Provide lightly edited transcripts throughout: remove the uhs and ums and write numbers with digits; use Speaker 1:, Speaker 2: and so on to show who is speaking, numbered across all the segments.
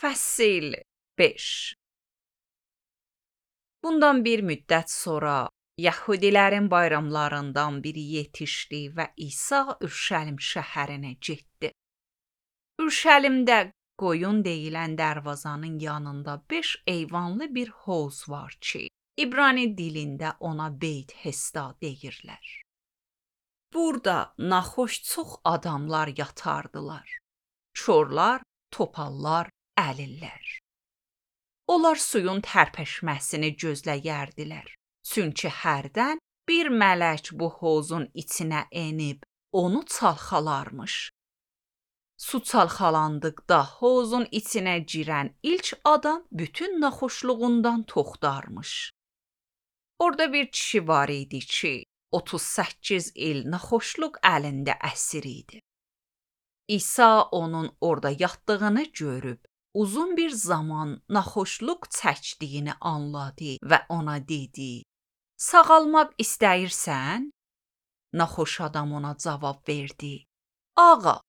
Speaker 1: Fəsil 5. Bundan bir müddət sonra Yəhudilərin bayramlarından biri yetişdi və İsa Ürşəlim şəhərinə getdi. Ürşəlimdə qoyun deyilən dərvazanın yanında 5 eyvanlı bir hovuz var ki, İbrani dilində ona Beyt Hesda deyirlər. Burada naxoş çox adamlar yatardılar. Çorlar, topallar, əlillər. Onlar suyun tərpəşməsini gözləyərdilər. Çünki hərdən bir mələk bu hovuzun içinə enib onu çalxalarmış. Su çalxalandıqda hovuzun içinə girən ilk adam bütün naxoşluğundan toxtarmış. Orada bir kişi var idi ki, 38 il naxoşluq əlində əsir idi. İsa onun orada yatdığını görüb, uzun bir zaman naxoşluq çəkdiyini anladı və ona dedi: "Sağalmaq istəyirsən?" Naxoş adam ona cavab verdi: "Ağa,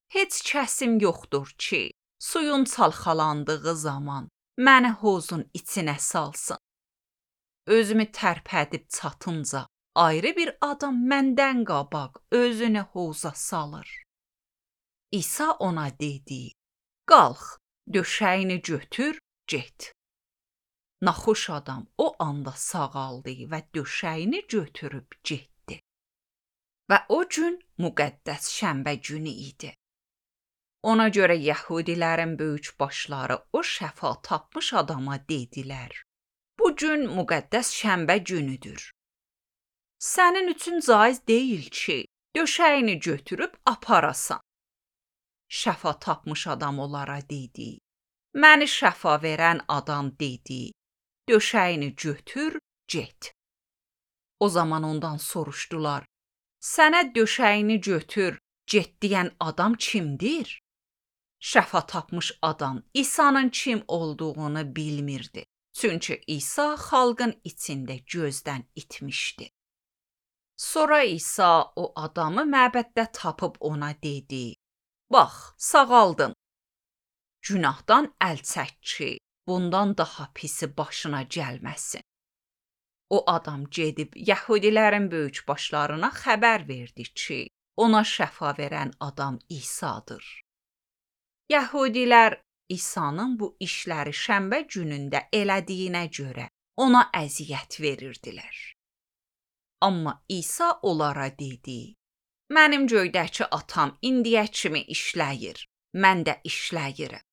Speaker 1: heç kəsim yoxdur ki, suyun çalxalandığı zaman məni hovuzun içinə salsın. Özümü tərpədib çatınca ayrı bir adam məndən qabaq özünü hovuza salır." İsa ona dedi: "Qalx, döşəyini götür, get." Naxoş adam o anda sağaldı və döşəyini götürüb getdi. Və o gün müqəddəs şənbə günü idi. Ona görə Yəhudilərin böyük başları o şəfa tapmış adama dedilər: "Bu gün müqəddəs şənbə günüdür. Sənin üçün caiz deyil ki, döşəyini götürüb aparasan." Şəfa tapmış adam onlara dedi: "Məni şəfa verən adam dedi: Döşəyini götür, get." O zaman ondan soruşdular: "Sənə döşəyini götür, get deyən adam kimdir?" Şəfa tapmış adam İsa'nın kim olduğunu bilmirdi. Çünki İsa xalqın içində gözdən itmişdi. Sonra İsa o adamı məbəddə tapıb ona dedi: "Bax, sağaldın. Günahdan əl çək ki, bundan daha pisi başına gəlməsin." O adam gedib Yəhudilərin böyük başlarına xəbər verdi ki, ona şəfa verən adam İsa'dır. Yəhudilər İsa'nın bu işləri şənbə günündə elədiyinə görə ona əziyyət verirdilər. Amma İsa onlara dedi: "Mənim göydəki atam indiyə kimi işləyir, mən də işləyirəm."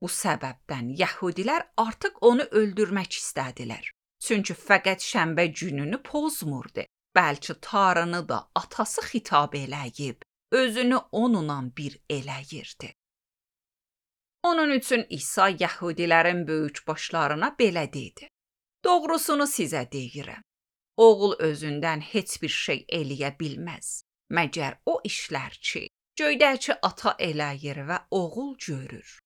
Speaker 1: Bu səbəbdən Yəhudilər artıq onu öldürmək istədilər. Çünki fəqət şənbə gününü pozmurdu, bəlkə Tanrını da atası xitab eləyib, özünü onunla bir eləyirdi. Onun üçün İsa Yəhudilərin böyük başlarına belə dedi: "Doğrusunu sizə deyirəm. Oğul özündən heç bir şey eləyə bilməz, məgər o işlər ki, göydəki ata eləyir və oğul görür.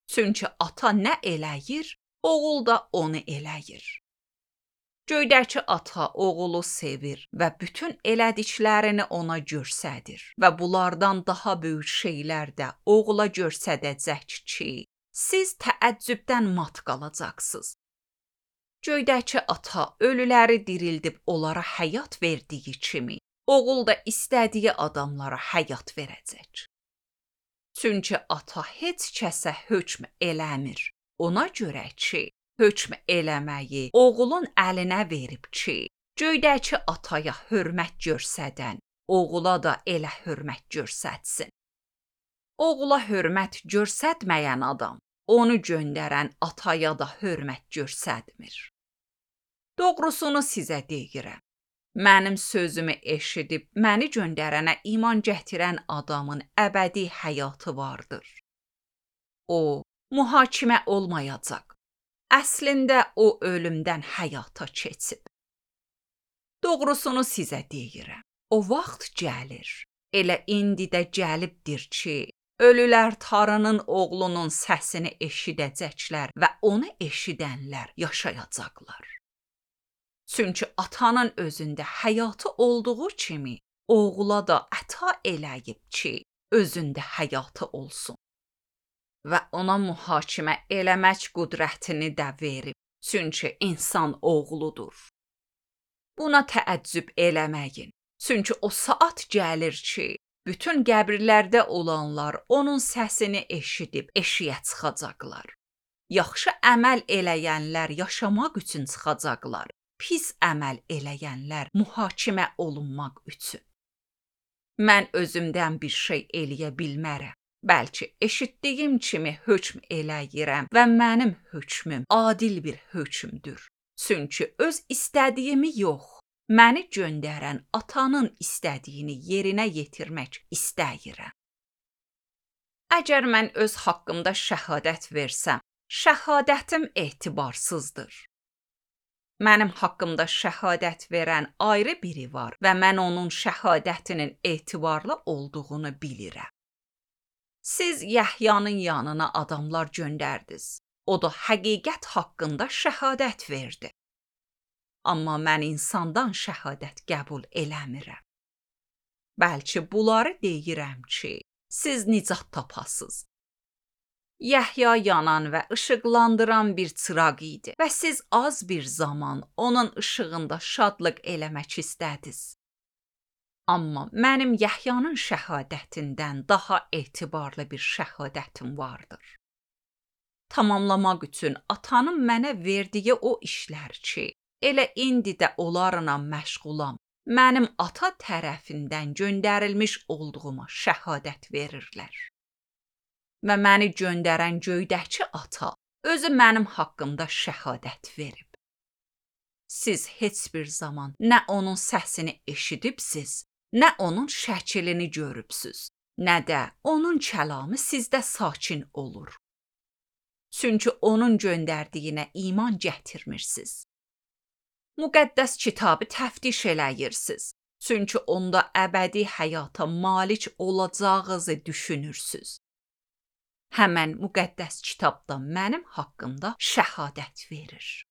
Speaker 1: Çünki ata nə eləyir, oğul da onu eləyir. Göydəki ata oğulu sevir və bütün elədiklərini ona göstərir və bunlardan daha böyük şeylər də oğula göstərəcək ki, siz təəccübdən mat qalacaqsınız. Göydəki ata ölüləri dirildib onlara həyat verdiyi kimi, oğul da istədiyi adamlara həyat verəcək. Çünki ata heç kəsə hökm eləmir, ona görə ki, hökm eləməyi oğulun əlinə verib ki, göydəki ataya hörmət göstərən, oğula da elə hörmət göstərsin. Oğula hörmət göstərməyən adam, onu göndərən ataya da hörmət göstərmir. Doğrusunu sizə deyirəm. Mənim sözümü eşidib məni göndərənə iman gətirən adamın əbədi həyatı vardır. O, mühakimə olmayacaq. Əslində o ölümdən həyata keçib. Doğrusunu sizə deyirəm. O vaxt gəlir, elə indi də gəlibdir ki, ölülər Tanrının oğlunun səsini eşidəcəklər və onu eşidənlər yaşayacaqlar. Çünki atanın özündə həyatı olduğu kimi, oğula da əta eləyib ki, özündə həyatı olsun. və ona mühakimə eləmək qüdrətini də verib. Çünki insan oğludur. Buna təəccüb eləməyin. Çünki o saat gəlir ki, bütün qəbirlərdə olanlar onun səsini eşidib eşiyə çıxacaqlar. Yaxşı əməl eləyənlər yaşamaq üçün çıxacaqlar. Pis əməl eləyənlər mühakimə olunmaq üçün. Mən özümdən bir şey eləyə bilmərəm. Bəlkə eşitdiyim kimi hökm eləyirəm və mənim hökmüm adil bir hökmdür. Çünki öz istədiyimi yox, məni göndərən atanın istədiyini yerinə yetirmək istəyirəm. Əgər mən öz haqqımda şəhadət versəm, şəhadətim etibarsızdır. Mənim haqqımda şəhadət verən ayrı biri var və mən onun şəhadətinin etibarlı olduğunu bilirəm. Siz Yəhyanın yanına adamlar göndərdiniz. O da həqiqət haqqında şəhadət verdi. Amma mən insandan şəhadət qəbul eləmirəm. Bəlkə bunları deyirəm ki, siz nicat tapasınız. Yəhya yanan və işıqlandıran bir çıraq idi və siz az bir zaman onun işığında şadlıq eləmək istədiniz. Amma mənim Yəhyanın şəhadətindən daha etibarlı bir şəhadətim vardır. Tamamlamaq üçün atanın mənə verdiyi o işlər ki, elə indi də onlarla məşğulam, mənim ata tərəfindən göndərilmiş olduğuma şəhadət verirlər. Və məni göndərən göydəki ata özü mənim haqqımda şəhadət verib. Siz heç bir zaman nə onun səsini eşidibsiz, nə onun şəklini görübsüz, nə də onun kəlamı sizdə sakin olur. Çünki onun göndərdiyinə iman gətirmirsiniz. Müqəddəs kitabı təftiş eləyirsiniz. Çünki onda əbədi həyata malik olacağınızı düşünürsüz. Həmən müqəddəs kitabda mənim haqqımda şəhadət verir.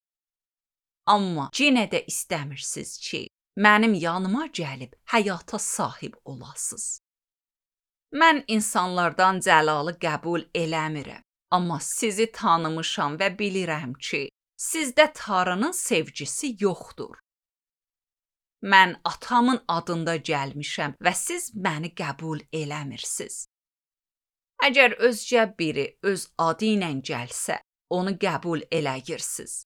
Speaker 1: Amma yenə də istəmirsiniz ki, mənim yanıma gəlib həyata sahib olasınız. Mən insanlardan cəlalı qəbul eləmirəm, amma sizi tanımışam və bilirəm ki, sizdə Tanrının sevgisi yoxdur. Mən atamın adında gəlmişəm və siz məni qəbul eləmirsiniz. Əgər özcə biri öz adı ilə gəlsə, onu qəbul eləyirsiniz.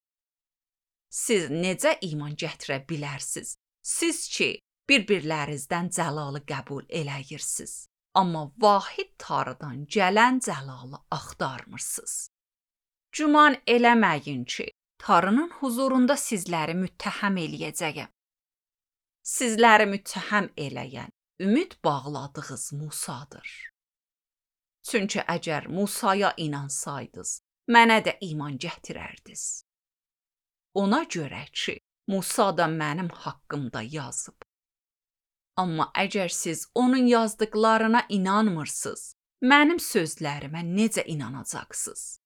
Speaker 1: Siz necə iman gətirə bilərsiniz? Siz ki, bir-birlərinizdən cəlalı qəbul eləyirsiniz, amma vahid Tanrıdan gələn cəlalı axtarmırsınız. Güman eləməyin ki, Tanrının huzurunda sizləri müttəhəm eləyəcəyəm. Sizləri müttəhəm eləyən, ümid bağladığınız Musadır. Çünki əgər Musaya inansaydınız, mənə də iman gətirərdiniz. Ona görə ki, Musa da mənim haqqımda yazıb. Amma əgər siz onun yazdıqlarına inanmırsınız, mənim sözlərimə necə inanacaqsınız?